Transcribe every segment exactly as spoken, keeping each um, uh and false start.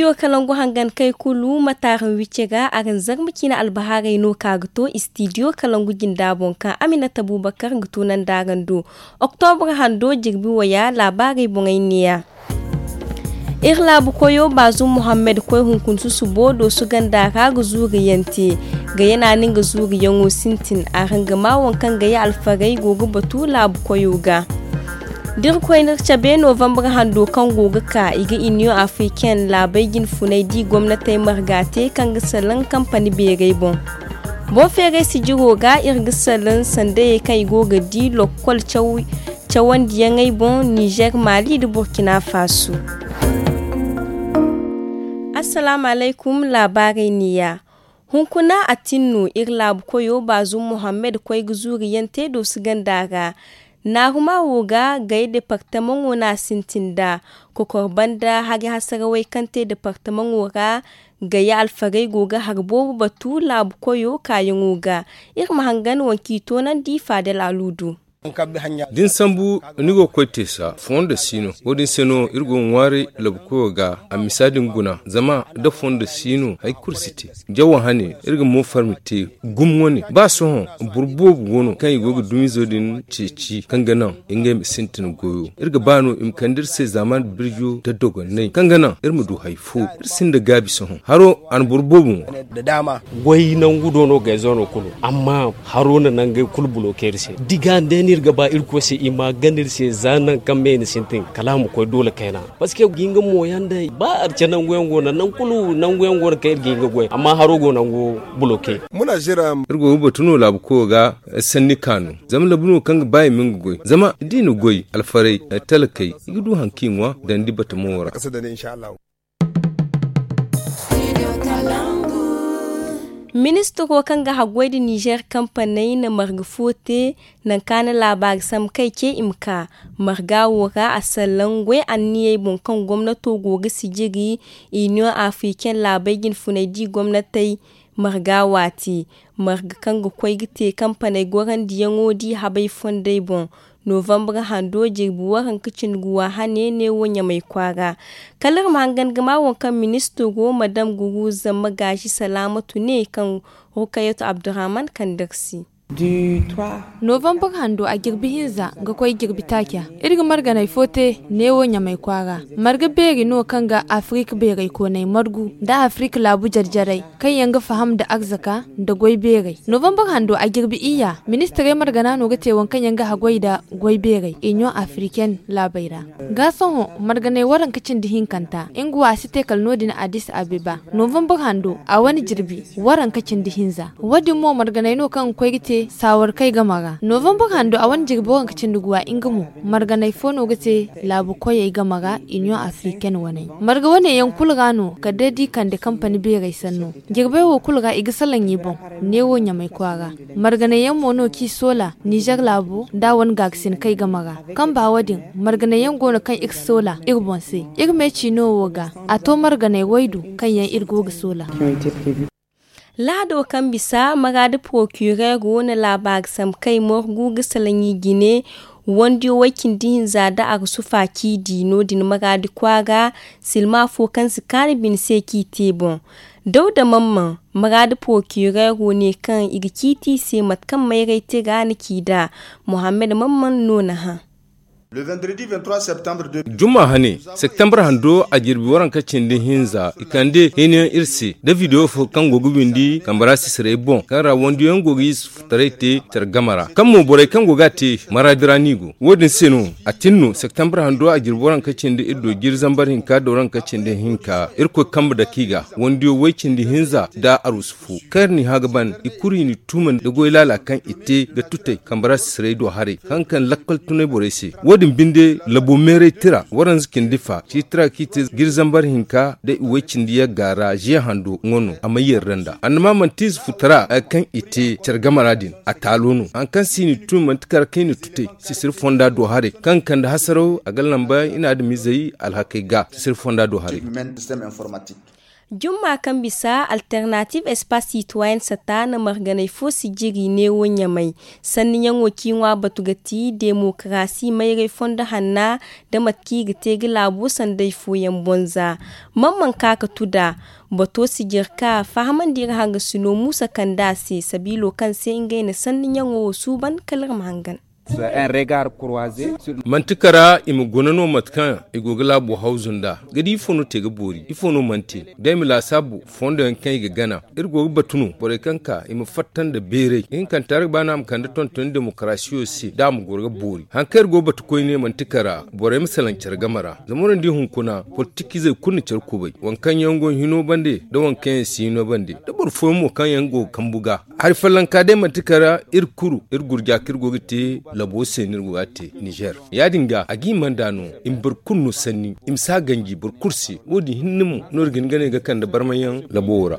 Istidiyo kalangu hangan kay kulu ma taaran wicce ga araŋ zarma ciine albahaarey no ka ga to istidiyo kalangu jinda boŋ kaŋ aminata bubakar ga tunandi araŋ do. Oktobra hando jirbi waya laabaarey boŋey neeya. Iri laabu koyo baazum muhammad koy hunkuna susubo doosu ganda ra ga zuuriyaŋ te. Gayana no nga zuuriyaŋo sintin araŋ ga maa waŋ kaŋ gaya alfarey go ga batu laabu koyo ga. Da iri koy no iri cabe novambar hando kaŋ go ga ka i ga iniyoŋ afriken laabey jinfuney di gomnatey marga te kaŋ ga salaŋ kampani beerey boŋ. Boŋ feeray sijiro ga iri ga salaŋ sandayey kaŋ i go ga di lokkol cawandiyaŋey boŋ nizer mali nda burkina faso. Assalaamu alaykum. Laabaarey neeya. Hunkuna a tin no iri laabu koyo baazum muhammad koy ga zuuriyaŋ te doosu ganda ra. Naaruma wo ga gay departamaŋo no a sintin nd'a kokor banda hari hasarawey kaŋ te departamaŋo ra. Gaya alfarey go ga hari boobo batu laabu koyo kaayaŋo ga. Iri ma hangan waŋ kaŋ i toonandi faadal aluudu. Da ni sambu ni go ga koy teesa fondo si no wo- din se no iri go ga ŋwaaray laabu koyo ga. A misa din guna zama da fondo si no hari kulu si te. Jawa hane iri ga mo farmi te gum wane ba sohõ boro boobo go no kaŋ i go ga dumizo din ceeci kaŋ ga naŋ ngey ma sintin goyo. Iri ga ba no i ma kande iri se zaaman birjo da dogonnay kaŋ ga naŋ iri ma du hari fo. Iri sinda gaabi sohõ haro a na boro boobo ŋwa. Goy nangu do no gayzo no kulu amma haro na nangey kulu buloke iri se. Diga nda no iri ga ba irkoy se i ma gana iri se za nangu kaŋ me i na sintin kala a ma koy doole kayna. Parceque ga nga mooyaŋ day ba arce nangu yaŋ go no nangu kulu nangu yaŋ go no kaŋ iri ga nga goy amma haro go nangu buloke. Iri go ga batu no laabu koyo ga sanni kaanu zama labu no kaŋ ga ba i ma nga goy zama da i na goy alfarey talakey i ga du hari kaŋ i ŋwa dandi batamo ra. Ministiro kaŋ ga haggoy nda nizer kampaney na marga fo te nangu kaŋ a na laabaari sambu kay ce i ma ka marga wo ra a sallaŋ goy anniyey boŋ kaŋ gomnato go ga sijiri iniyoŋ afriken laabey jinfuney di gomnatey marga waati. Marga kaŋ ga koy ga te kampaney gorandiyaŋo di habey fondey boŋ novambar hando jirbi waranka cindi guwa hane neewo ɲamay kwaara. Kala iri ma hangan ga ma waŋ kaŋ ministiro madam guruza magaazi salaamatu ne kaŋ rukayatu abdurrahman kande iri se. Novambar hando a jirbi hinza ga koy jirbi taaca iri ga marganey fo te neewo ɲamay kwaara. Marga beeri no kaŋ ga afirik beerey kooney margu nda afirik laabu jarjaray kaŋ yaŋ ga faham nda arzaka nda goy beerey. Novambar hando a jirbi iyya ministirey margana no ga te waŋ kaŋ yaŋ ga haggoy nda goy beerey iniyoŋ afiriken laabey ra. Ga sohõ marganey waranka cindi hinkanta nga wo a si te kala no- din addis abeba. Novambar hando a wane jirbi waranka cindi hinza wo- din mo marganey no kaŋ ga koy ga te saawarkey game ra. Novambar hando a wane jirbi waranka cindi guwa nga mo marganey fo no ga te laabu koyey game ra iniyoŋ afiriken waney. Marga wane yaŋ kulu ra no kala day da i kande kampani beerey sanno. Jirbey wo kulu ra i ga salaŋ i boŋ neewo ɲamay kwaara. Marganey yaŋ mo no kaŋ i soola nizer laabo nda a wane gaarisinkey game ra. Kamba wo- din marganey yaŋ go no kaŋ iri soola iri boŋ se. Iri me ciino wo ga a to marganey waydu kaŋ yaŋ iri go ga soola. Lahado kaŋ bisa maraadi porokireero na laabaari sambu kay morgu ga salaŋ i jine. Wandiyo way-cindi-hinza nda arsufa ciidi no- din maraadi kwaara. Silma fo kaŋ si kaanu bine se kaŋ i te boŋ. Dawda mamman maraadi porokireero ne kaŋ i ga ciiti i se mate kaŋ mayray tira na ci nd'a. Muhammad mamman no na hã. Juma hane, septembre hando a jirbi waranka cindi hinza i kande heniyaŋ iri se nda video fo kaŋ go ga windi kambara sisirey boŋ kaŋ ra wandiyaŋ go ga i sufutaray te care game ra kaŋ mo borey kaŋ go ga a te maraadi ra no i go. Wo- din se no a tin no septembre hando a jirbi waranka cindi iri do jiri zambar hinka da waranka cindi hinka irkoy kambe dake i ga wandiyo way cindi hinza nda arusu fo kaŋ iri n'i hã ga ban i kulu i n'i tuumandi nda goy laala kaŋ i te ga tutey kambara sisirey do haray kaŋ kaŋ lakkal tunay borey se. Wo- din binde labo meeray tira waranza cindi fa ciitira kaŋ i te jiri zambar hinka nda i way cindi yagga ra ziya hando nga no a may yarda nd'a annama manti ize futara kaŋ i te care game ra din a taalo no hari kaŋ se i n'i tuumandi kar kaŋ i na tutey sisiri fonda do haray kaŋ ga kande hasaraw a ga lamba i na adamizey alhakey ga sisiri fonda do haray. Jumma kaŋ bisa alternative espace citoyen sata na marganay fo sijiri neewo ɲamay. Sanniyaŋo ciiŋwa batu ga ti demokarasi mayray fondo hanna, da mate kaŋ i ga te ga laabo sanday fooyaŋ bonza. Mamman ka ka tuda bato sijiri ka fahamandi iri hangasino muusa kande a se sabiilo kaŋ se ngey na sanniyaŋo wo suuban kala iri ma hangan. Manti kara i ma guna no mate kaŋ i go ga laabo hawzu nd'a ga di ifo no te ga boori ifo no mana te. Da i ma laasaabu fondo yaŋ kaŋ i ga gana iri go ga batu no borey kaŋ ka i ma fatta nda beeray ihinkanta ra ga ba no a ma kande tonton demokarasiyo se da a ma goro ga boori hari kaŋ iri go ga batu koyne manti kara borey ma salaŋ care game ra. Zama iri na di hunkuna politikizey kulu na care kubay waŋ kaŋ yaŋ go hino bande nda waŋ kaŋ yaŋ si hino bande nda boro fooyaŋ mo kaŋ yaŋ go ga kambu ga. Hari follanka day manti kara iri kuru iri gurja kaŋ iri go ga te labo se no iri go ga a te nizer. Ya- din ga a ga i manda no i ma boro kulu no sanni i ma si a ganji boro kulu se. Wo- din hinne mo no iri ga hin ga ne ga kande barmayaŋ labo wo ra.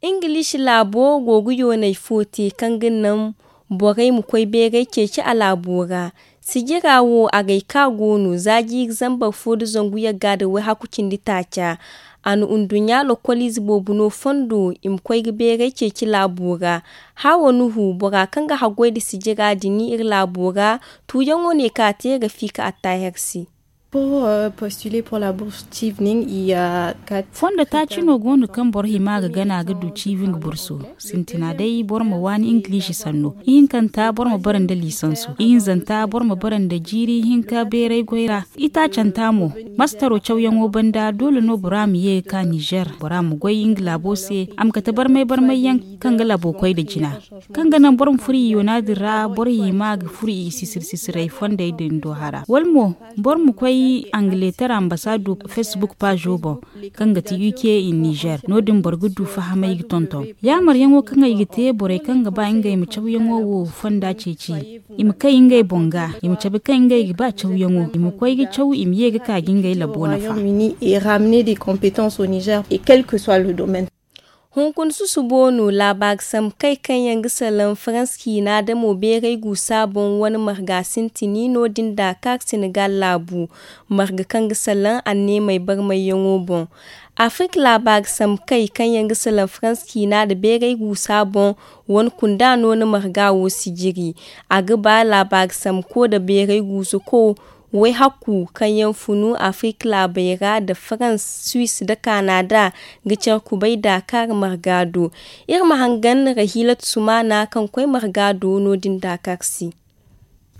Ingiliisi laabo go ga yoonay fo te kaŋ ga naŋ borey ma koy beeray ceeci a laabo ra. Sijira wo agay ka go no za jiiri zambar fo nda zangu yagga nda wayhaku cindi taaca. A na nduɲɲa lokoliize boobo no fondo i ma koy ga beeray ceeci laabo ra. Haawo nuhu bora kaŋ ga haggoy nda sijira din iri laabo ra. Tuuyaŋo ne ka te rafiika attaaher se. Fondo taaci no go no kaŋ boro hima ga gana ga du ciibi nga bursu. Sintina day boro ma waani ingiliisi sanno ihinkanta boro ma bara nda liisansu ihinzanta boro ma bara nda jiiri hinka beeray goy ra. Itaacanta mo mastaro cawyaŋo banda doole no bora ma ye ga ka nizer bora ma goy nga laabo se a ma kate barmay barmay yaŋ kaŋ ga laabo koy nda jina kaŋ ga naŋ boro ma furo i yoona din ra boro hima ga furo i sisir sisiray fondey din do hara wala mo boro ma koy angaletara ambasaado facebook paazo boŋ kaŋ ga ti uk in nizer no- din boro ga du fahamay ga tonton yaamaryaŋo kaŋ ay ga te borey kaŋ ga ba ngey ma cawyaŋo wo fonda ceeci i ma kay ngey boŋ ga i ma cabe kaŋ ngey ga ba cawyaŋo i ma koy ga caw i ma ye ga ka ga ngey labo nafa. Hunkuna susubo no laabaari sambu kay kaŋ yaŋ ga salaŋ farans ciina da mo beeray guusa boŋ wane marga sintini no- din daakaar senegal laabu marga kaŋ ga salaŋ anneemey barmayyaŋo boŋ. Afirka laabaari sambu kay kaŋ yaŋ ga salaŋ farans ciina nda beeray guusa boŋ wane kunda no na marga wo sijiri. A ga ba laabaari sambuko nda beeray guusuko wayhaku kaŋ yaŋ funu afirka laabey ra nda farans suis nda kanada ga care kubay daakaar marga do. Iri ma hangan rahiilatu sumaana kaŋ koy marga do no- din daakaar se.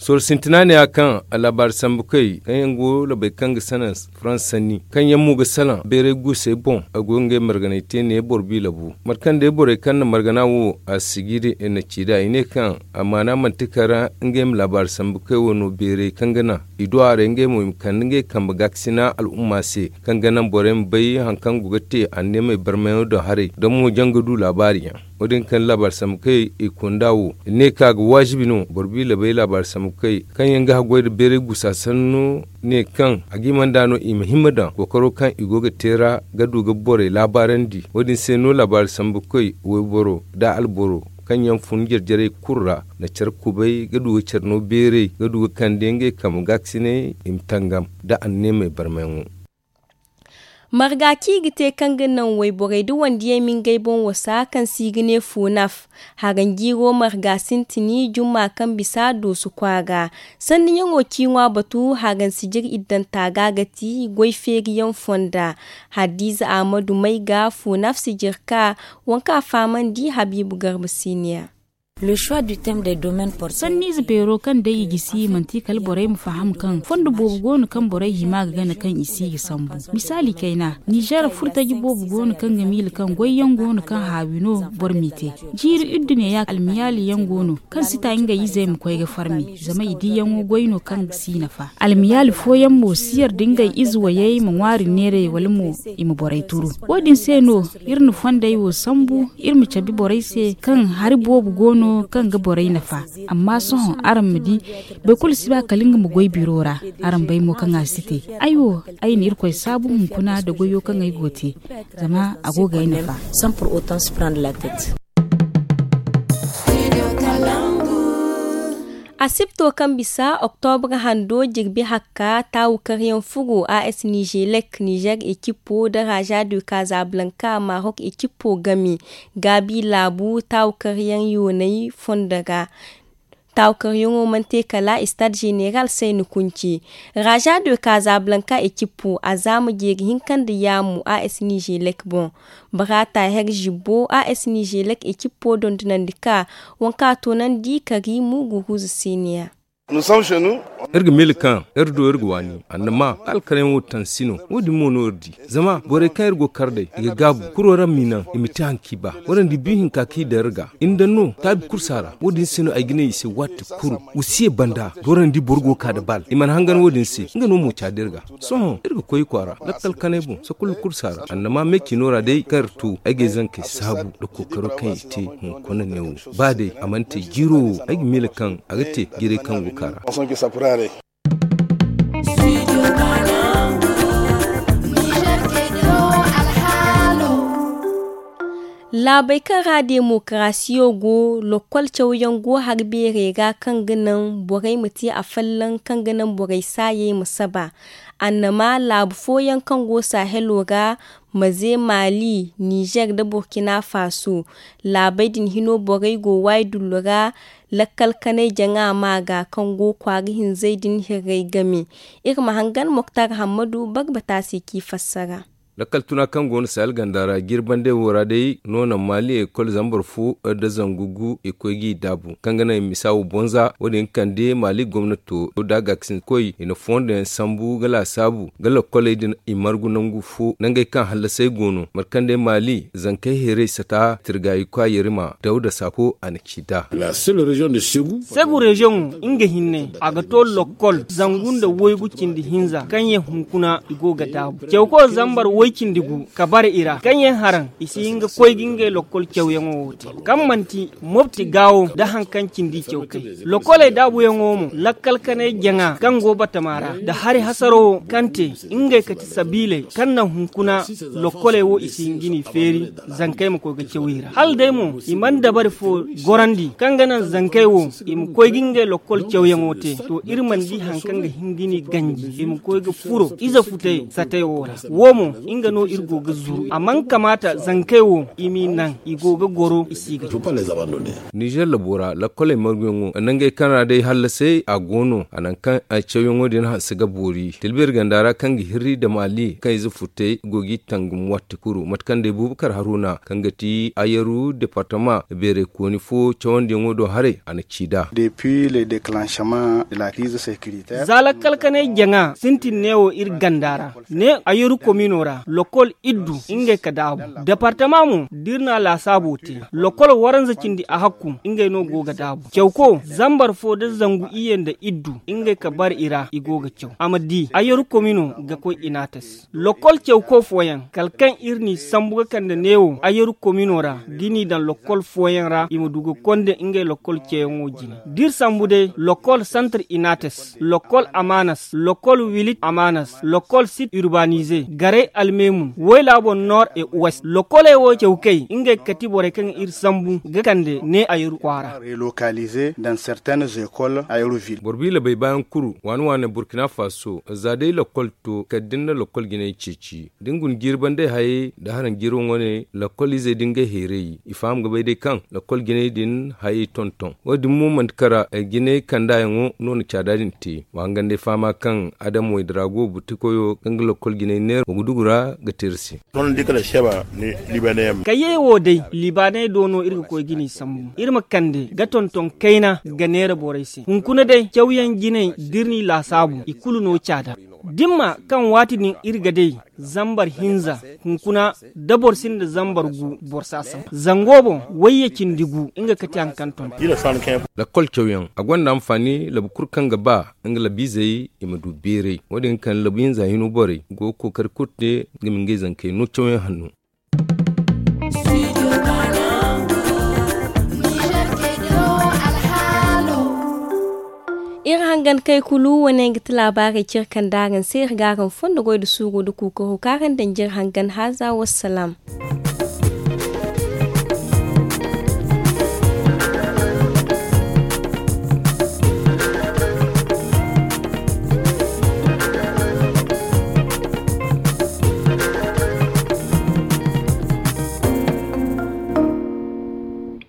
Sohõ sintina ne ya kaŋ a laabaari sambu kay kaŋ yaŋ go labey kaŋ ga sanaŋ farans sanni kaŋ yaŋ mo ga salaŋ beeray guusey boŋ a go ga ngey marganay te ne boro bi labu mate kaŋ day borey kaŋ na margana wo a sijiri i na ci nd'a i ne kaŋ a maana manti kara ngey ma laabaari sambu kay wo no beeray kaŋ ga naŋ i du a ra ngey mo i ma kande ngey kambe gaakasina al'umma se kaŋ ga naŋ borey ma bay hari kaŋ go ga te anneemey barmayaŋo do haray da mo jaŋ ga du laabaari yaŋ. Wo- din kaŋ laabaari sambu kay i kunda wo i ne kaŋ a ga waajibi no boro bi labey laabaari sambu kay kaŋ yaŋ ga haggoy nda beeray guusa sanno ne kaŋ a ga i manda no i ma hima daŋ kookaro kaŋ i go ga te ra ga du ga borey laabaarandi wo- din se no laabaari sambu kay wayboro nda alboro kaŋ yaŋ fun jare-jarey kulu ra na care kubay ga du ga care no beeray ga du ga kande ngey kambe gaakasinay i ma tangam nda anneemey barmayaŋo. Marga kaŋ i ga te kaŋ ga naŋ wayborey nda wandiyey ma ngey boŋ wasa kaŋ se i ga ne funaf. Haranjiiro marga sintini jumma kaŋ bisa dooso kwaara sanniyaŋo ciiŋwa batu haransi jire iddanta ga ga ti goy feeriyaŋ fonda. Hadiize ahmadu may ga funaf si jire ka waŋ kaŋ a fahamandi habiibu garba siiniya. Sanniize beero kaŋ day i gisi manti kala borey ma faham kaŋ fondo boobo go no kaŋ borey hima ga gana kaŋ i si ga sambu. Misaali kayna nizer furtaji boobo go no kaŋ ga miila kaŋ goyyaŋ go no kaŋ haawi no boro m'i te. Jiiri iddu neeya almiyaali yaŋ go no kaŋ si ta ngey izey ma koy ga farmi zama i diiyaŋo goy no kaŋ si nafa. Almiyaali fooyaŋ mo si yarda ngey ize wayey ma ŋwaari neeray wala mo i ma borey turu. Wo- din se no iri na fondey wo sambu iri ma cabe borey se kaŋ hari boobo go no kaŋ ga borey nafa. Amma sohõ araŋ ma di boro kulu si ba kala nga ma goy biro ra. Araŋ bay mo kaŋ a si te. Ay wo ay na irkoy saabu hunkuna nda goyo kaŋ ay go ga te zama a go ga ay nafa. Asibto kaŋ bisa oktobra hando jirbi hakka taawu karyaŋ furo a s nizelek nizer ekipo nda raza de kazablanka marok ekipo game gaabi laabu taawu karyaŋ yoonay fondo ra. Taawu karyaŋo mana te kala stade zeneral sayni kunci. Raza de kazablanka ekipo a zaama jeeri hinka nda yaamu a s nizelek boŋ. Barata her zibbo a s nizelek ekipo dondonandi ka waŋ ka toonandi kari muguruzu siniya. Iri ga miila kaŋ iri do iri ga waani annama alkarayaŋo tansi no. Wo- din mo no iri di zama borey kaŋ iri go ga kar day i ga gaabu kuro ra m'i naŋ i ma te haŋ kaŋ i ba. Warandi biyu hinka kaŋ i daŋ iri ga i na daŋ no taabi kursa ra wo- din se no ay ga ne i se waati kulu. Wasiya banda da warandi boro go ga ka nda baal i mana hangan wo- din se nga no mo caadi iri ga. Sohõ iri ga koy i kwaara lakkal kanay boŋ sakulla kursa ra annama me ciino ra day kaŋ iri to ay ga ay zankey saabu nda kookaro kaŋ i te hunkuna neewo. Ba day a mana te jiiro wo ay ga miila kaŋ a ga te jiiray kaŋ go ga ka ra. Laabey kaŋ ra demokarasiyo go lokkol cawyaŋ go hari beerey ra kaŋ ga naŋ borey ma te afolloŋ kaŋ ga naŋ borey saayey ma saba. Annama laabu fooyaŋ kaŋ go sahelo ra maze maali nizer nda burkina faso. Laabey din hino borey go waydullu ra lakkal kanay jaŋa ma ga kaŋ go kwaara hinzey din hirrey game. Iri ma hangan moktar hammadu barbata se k'i fassara. Lakkal tuna kaŋ go no sahel ganda ra jirbandey wo ra day no naŋ maali ekol zambar fo nda zangu gu i koy g'i daabu kaŋ ga naŋ i misa wo bonza wo- din kande maali gomnato da a ga ga sinda koy i na fondo yaŋ sambu ga laasaabu ga lokkoley din i margu nangu fo nangey kaŋ hallasey go no mate kaŋ day maali zankey heeray sata tirgayi kwa yerima dawda sako a na ci nd'a. Segu reziyoŋo nga hinne a ga to lokkol zangu nda waygu cindi hinza kaŋ yaŋ hunkuna i go ga daabu cawko zambar way cindi gu ka bare i ra kaŋ yaŋ haraŋ i si hin ga koy ga ngey lokkol cawyaŋo wo te kaŋ manti mopti gaawo nda haŋ kaŋ cindi cawkay lokkoley daabuyaŋo mo lakkal kanay jaŋa kaŋ go batama ra nda hari hasaro wo kaŋ te ngey kati sabiiley kaŋ naŋ hunkuna lokkoley wo i si hin ga ni feeri zankey ma koy ga caw i ra hala day mo i mana dabari fo gorandi kaŋ ga naŋ zankey wo i ma koy ga ngey lokkol cawyaŋo te to iri mana di haŋ kaŋ ga hin ga ni ganji i ma koy ga furo ize futey satey wo ra wo mo nga no iri go ga zuru a mana kamaata zankey wo i m'i naŋ i go ga goro i si ga caw. Nizer labo ra lakkoley marguyaŋo nangey kaŋ ra day hallasey a go no a naŋ kaŋ cawyaŋo din hanse ga boori tilbir ganda ra kaŋ ga hirri nda maali kaŋ ize futey go g'i tangam waati kulu mate kaŋ day bubakar haruna kaŋ ga ti ayaru departama beeray kooni fo cawandiyaŋo do haray a na ci nd'a. Za lakkal kanay jaŋa sintin neewo iri ganda ra ne ayaru komino ra lokol iddu ngey ka daabu departama mo da iri na laasaabo te lokol waranza cindi a hakku ngey no go ga daabu cawko zambar fo da zangu iyye nda iddu ngey ka bar i ra i go ga caw a ma di ayaru komino ga koy inates lokol cawko fooyaŋ kala kaŋ iri n'i sambu ga kande neewo ayaru komino ra da i n'i daŋ lokol fooyaŋ ra i ma du ga konda ngey lokol cawyaŋo jine da iri sambu day lokol santar inates lokol amanas lokol wilit amanas lokol sit urbanize garay almemun wayla boŋ nord et ouest lokoley wo cawkey ngey ga kati borey kaŋ iri sambu ga kande ne ayaru kwaara. Boro biila bay baayaŋ kuru waani waani burkina faso za day lokol to kala da ni na lokol jinay ceeci da ni guna jiiri bandey hayey nda haraŋ jiiri waŋo ne lokol izey da ngey hayray i faham ga bay day kaŋ lokol jinay din hayey tonton wo- din mo manti kara jinay kandaayaŋo no na caada din te wa hangan day fahama kaŋ adama wayda ra go butikoyo kaŋ ga lokol jinay neera wa ga dugu ra ga te iri se. Kayyey wo day libaaney do no iri ga koy ga ni sambu iri ma kande ga tonton kayna ga neera borey se hunkuna day cawyaŋ jinay da iri n'i laasaabu i kulu no caada dimma kaŋ waati din iri ga day zambar hinza hunkuna da boro sinda zambar gu boro si a sambu zango boŋ wayye cindi gu nga kati haŋ kaŋ ton. Lakkol cawyaŋ a gonda anfaani labu kulu kaŋ ga ba nga labiizey i ma du beeray wo- din kaŋ labu hinza hino borey go ga kookari kulu te nga ma ngey zankey no cawyaŋ hanno. Iri hangan kay kulu wane ga ti laabaarey cire kaŋ da araŋ se iri ga araŋ fondo goy da suuru da kuukaro kaŋ araŋ daŋ jire hangan haaza wassalaam.